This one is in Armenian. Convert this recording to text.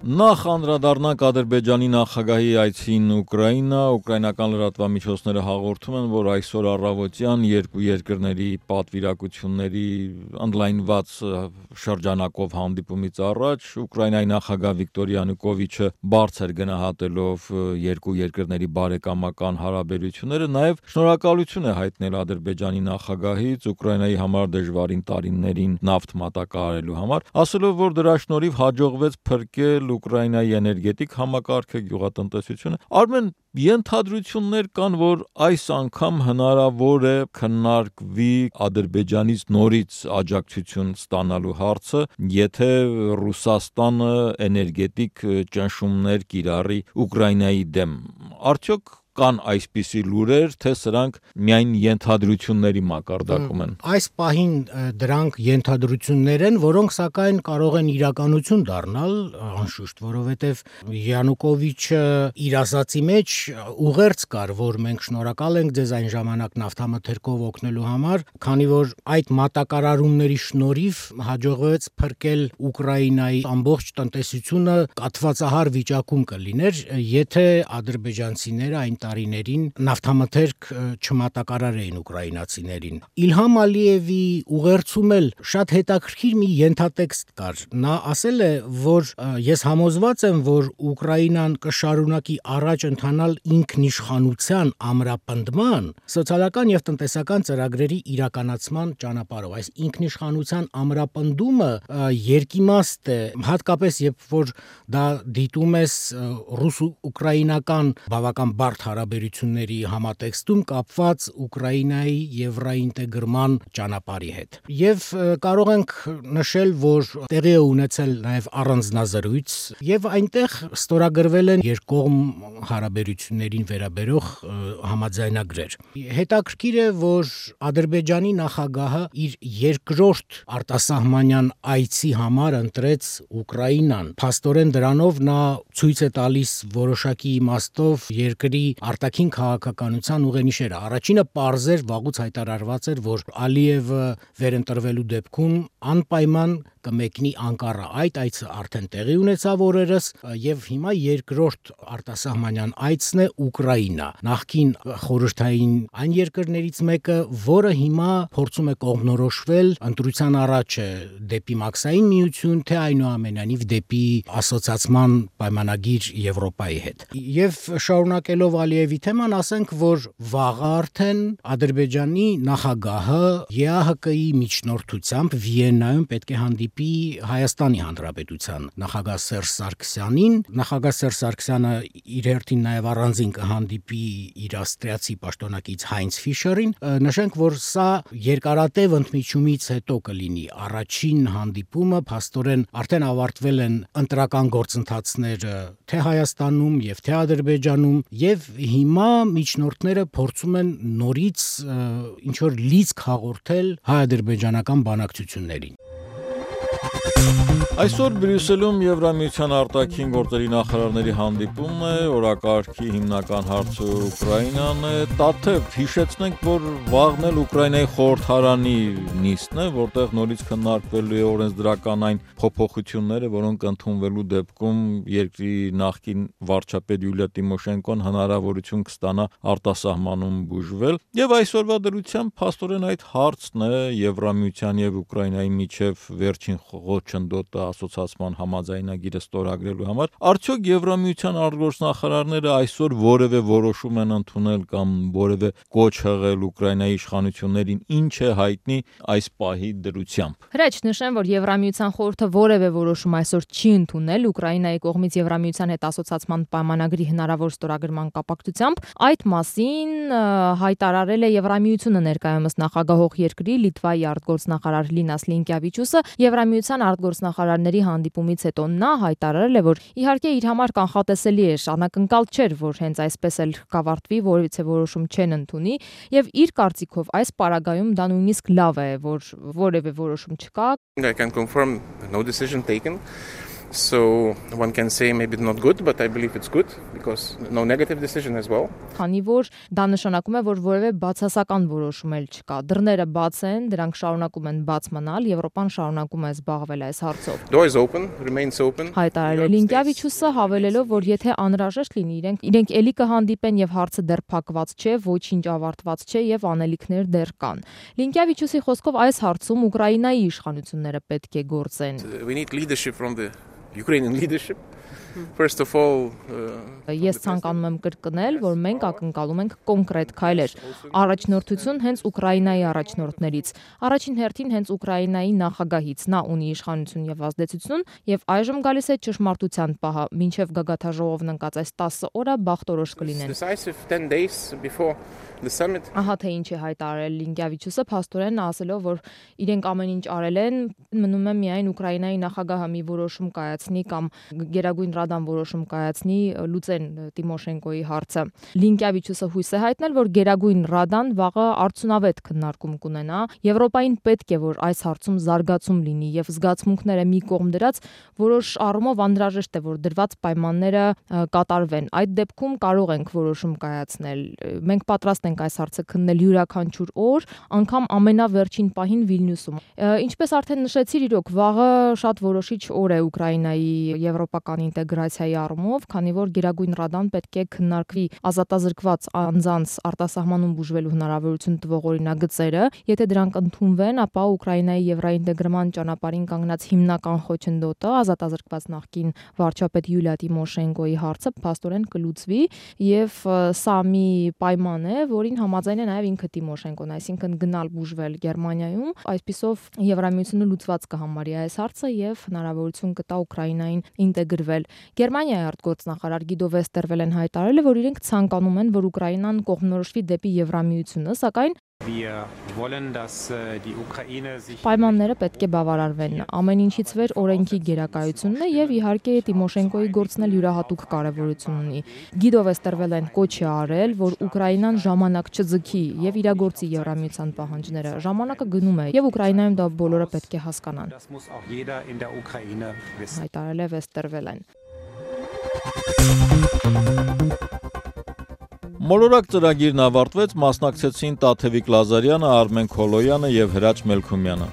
Նախ անդրադառնանք Ադրբեջանի նախագահի այցին Ուկրաինա, ուկրաինական լրատվամիջոցները հաղորդում են, որ այսօր առավոտյան երկու երկրների պատվիրակությունների ընդլայնված շրջանակով հանդիպումից առաջ Ուկրաինայի նախագահ Վիկտոր Յանուկովիչը բարձր գնահատելով երկու երկրների բարեկամական հարաբերությունները, նաև շնորհակալություն է հայտնել Ադրբեջանի նախագահից Ուկրաինայի համար դժվարին տարիներին նավթ մատակարարելու համար, ասելով, որ դրա շնորհիվ հաջողվեց փրկել Ուկրաինայի էներգետիկ համակարգը, գյուղատնտեսությունը։ Արմեն, ենթադրություններ կան, որ այս անգամ հնարավոր է քննարկվի Ադրբեջանից նորից աջակցություն ստանալու հարցը, եթե Ռուսաստանը էներգետիկ ճնշումներ կիրառի Ուկրաինայի դեմ։ Արդյոք կան այսպիսի լուրեր, թե սրանք միայն ենթադրությունների մակարդակում են։ Այս պահին դրանք ենթադրություններ են, որոնք սակայն կարող են իրականություն դառնալ, անշուշտ, որովհետև Յանուկովիչը իր ասացի մեջ ուղերձ կար, որ մենք շնորհակալ ենք ձեզ այն ժամանակ նավթամթերքով օգնելու համար, քանի որ այդ մատակարարումների շնորհիվ հաջողվեց փրկել Ուկրաինայի ամբողջ տնտեսությունը կաթվածահար վիճակում կլիներ, եթե ադրբեջանցիները այն տարիներին նավթամթերք չմատակարարեին ուկրաինացիներին։ Իլհամ Ալիևի ուղերձում էլ շատ հետաքրքիր մի ենթատեքստ կար։ Նա ասել է, որ ես համոզված եմ, որ Ուկրաինան կշարունակի առաջ ընթանալ ինքնիշխանության ամրապնդման, սոցիալական եւ տնտեսական ծրագրերի իրականացման ճանապարհով։ Այս ինքնիշխանության ամրապնդումը երկիմաստ է, հատկապես երբ որ դա դիտում ես ռուս-ուկրաինական բավական բարդ հարաբերությունների համատեքստում կապված Ուկրաինայի եվրոինտեգրման ճանապարհի հետ։ Եվ կարող ենք նշել, որ տեղի է ունեցել նաև առանձնազրույց, եւ այնտեղ ստորագրվել են երկկողմ հարաբերություններին վերաբերող համաձայնագրեր։ Հետաքրքիր է, որ Ադրբեջանի նախագահը իր երկրորդ արտասահմանյան այցի համար ընտրեց Ուկրաինան։ Փաստորեն դրանով նա ցույց է տալիս որոշակի իմաստով երկրի արտաքին քաղաքականության ուղենիշերը։ Առաջինը պարզ էր, վաղուց հայտարարված էր, որ Ալիևը վերընտրվելու դեպքում անպայման կմեկնի Անկարա։ Այդ այցը արդեն տեղի ունեցավ օրերս, եւ հիմա երկրորդ արտասահմանյան այցն է Ուկրաինա, նախկին խորհրդային այն երկրներից մեկը, որը հիմա փորձում է կողմնորոշվել ընտրության առաջ դեպի մաքսային միություն, թե այնուամենայնիվ դեպի ասոցիացման պայմանագիր Եվրոպայի հետ։ Եվ շարունակելով Ալիևի թեման, ասենք, որ վաղը արդեն Ադրբեջանի նախագահը ԵԱՀԿ-ի միջնորդությամբ Վիեննայում պետք է հանդիպի Հայաստանի Հանրապետության նախագահ Սերժ Սարգսյանին։ Նախագահ Սերժ Սարգսյանը իր հերթին նաև առանձին կհանդիպի իր ավստրիացի պաշտոնակից Հայնց Ֆիշերին։ Նշենք, որ սա երկարատև ընդմիջումից հետո կլինի առաջին հանդիպումը, փաստորեն արդեն ավարտվել են ընտրական գործընթացները թե Հայաստանում եւ թե Ադրբեջանում, եւ հիմա միջնորդները փորձում են նորից ինչ որ լիցք հաղորդել հայ-ադրբեջանական բանակցություններին։ Այսօր Բրյուսելում Եվրամիության արտաքին գործերի նախարարների հանդիպումն է, օրակարգի հիմնական հարցը Ուկրաինան է։ Տաթև հիշեցնենք, որ վաղն էլ Ուկրաինայի խորհրդարանի նիստն է, որտեղ նորից քննարկվելու է օրենսդրական այն փոփոխությունները, որոնք ընդունվելու դեպքում երկրի նախկին վարչապետ Յուլիա Տիմոշենկոն հնարավորություն կստանա արտասահմանում բուժվել։ Եվ այսօրվա դրությամբ փաստորեն այդ հարցն է Եվրամիության եւ Ուկրաինայի միջև վերջին խոչընդոտը ասոցիացման համաձայնագիրը ստորագրելու համար։ Արդյոք Եվրամիության արտգործնախարարները այսօր որևէ որոշում են ընդունել կամ որևէ կոչ հղել Ուկրաինայի իշխանություններին, ինչ է հայտնի այս պահի դրությամբ։ Հրաչ նշեմ, որ Եվրամիության խորհուրդը որևէ որոշում այսօր չի ընդունել Ուկրաինայի կողմից Եվրամիության հետ ասոցիացման պայմանագրի հնարավոր ստորագրման կապակցությամբ։ Այդ մասին հայտարարել է Եվրամիությունը ներկայումս նախագահող երկրի Լիտվայի արտգործնախարար Լինաս Լինկյավիչուսը Եվրամիության արտգործնախարարների հանդիպումից հետո նա հայտարարել է, որ իհարկե իր համար կանխատեսելի է, անակնկալ չէր, որ հենց այսպես էլ կավարտվի, որևէ որոշում չեն ընդունի, եւ իր կարծիքով այս պարագայում դա նույնիսկ լավ է, որ որևէ որոշում չկա. I can confirm no decision taken. So one can say maybe not good, but I believe it's good because no negative decision as well. Քանի որ դա նշանակում է, որ որևէ բացասական որոշում էլ չկա։ Դռները բաց են, դրանք շարունակում են բաց մնալ, Եվրոպան շարունակում է զբաղվել այս հարցով։ Door is open, remains open. Հայտարարել Լինկևիչյուսը հավելելով, որ եթե անհրաժեշտ լինի, իրենք էլի կհանդիպեն եւ հարցը դեռ փակված չէ, ոչինչ ավարտված չէ եւ անելիքներ դեռ կան։ Լինկևիչյուսի խոսքով այս հարցում Ուկրաինայի իշխանությունները պետք է գործեն։ We need leadership from the Ukrainian leadership. First of all, Ես ցանկանում եմ կրկնել, որ մենք ակնկալում ենք կոնկրետ քայլեր, առաջնորդություն հենց Ուկրաինայի առաջնորդներից, առաջին հերթին հենց Ուկրաինայի նախագահից, նա ունի իշխանություն եւ ազդեցություն եւ այժմ գալիս է ճշմարտության պահը, մինչեւ գագաթաժողովն ընկած այս 10 օրը բախտորոշ կլինեն։ decisive 10 days before the summit. Ահա թե ինչ է հայտարարել Լինկևիչյուսը, փաստորեն ասելով, որ իրենք ամեն ինչ արել են, մնում է միայն Ուկրաինայի նախագահը մի որոշում կայացնի կամ Գերագույն Ռադան որոշում կայացնի, լուծեն Տիմոշենկոյի հարցը։ Լինկևիչյուսը հույս է հայտնել, որ Գերագույն Ռադան վաղը արդյունավետ քննարկում կունենա։ Եվրոպային պետք է, որ այս հարցում զարգացում լինի եւ զգացմունքները մի կողմ դրած, որոշ առումով անհրաժեշտ է, որ դրված պայմանները կատարվեն։ Այդ դեպքում կարող ենք որոշում կայացնել։ Մենք պատրաստ ենք այս հարցը քննել յուրաքանչյուր օր, անգամ ամենավերջին պահին Վիլնյուսում։ Ինչպես արդեն նշեցիր, իրոք վաղը շատ որոշիչ օր է Ուկրաինայի եվրոպական ինտեգրացիայի առումով, քանի որ Գերագույն Ռադան պետք է քննարկվի ազատազրկված անձանց արտասահմանում բուժվելու հնարավորություն տվող օրինագծերը։ Եթե դրանք ընդունվեն, ապա Ուկրաինայի եվրոինտեգրման ճանապարհին կանգնած հիմնական խոչընդոտը ազատազրկված նախկին վարչապետ Յուլիա Տիմոշենկոյի հարցը փաստորեն կլուծվի եւ սա մի պայման է, որին համաձայն է նաեւ ինքը Տիմոշենկոն, այսինքն գնալ բուժվել Գերմանիայում, այսպիսով Եվրամիությունը լուծված կհամարի այս հարցը եւ հնարավորություն կտա Ուկրաինային ինտեգրվել։ Գերմանիայի արտգործնախարար Գիդո Վեստերվելեն հայտարարել է, որ իրենք ցանկանում են, որ Ուկրաինան կողմնորոշվի դեպի Եվրամիությունը, սակայն պայմանները պետք է բավարարվեն։ Ամեն ինչից վեր օրենքի գերակայությունն է եւ իհարկե Տիմոշենկոյի գործն էլ յուրահատուկ կարեւորություն ունի։ Գիդո Վեստերվելեն կոչ է արել, որ Ուկրաինան ժամանակ չձգի եւ իրագործի Եվրամիության պահանջները։ Ժամանակը գնում է եւ Ուկրաինայում դա բոլորը պետք է հասկանան։ Հայտարարել է Վեստերվելեն։ Մոլորակ ծրագիրն ավարտվեց, մասնակցեցին Տաթևիկ Լազարյանը, Արմեն Քոլոյանը եւ Հրաչ Մելքումյանը։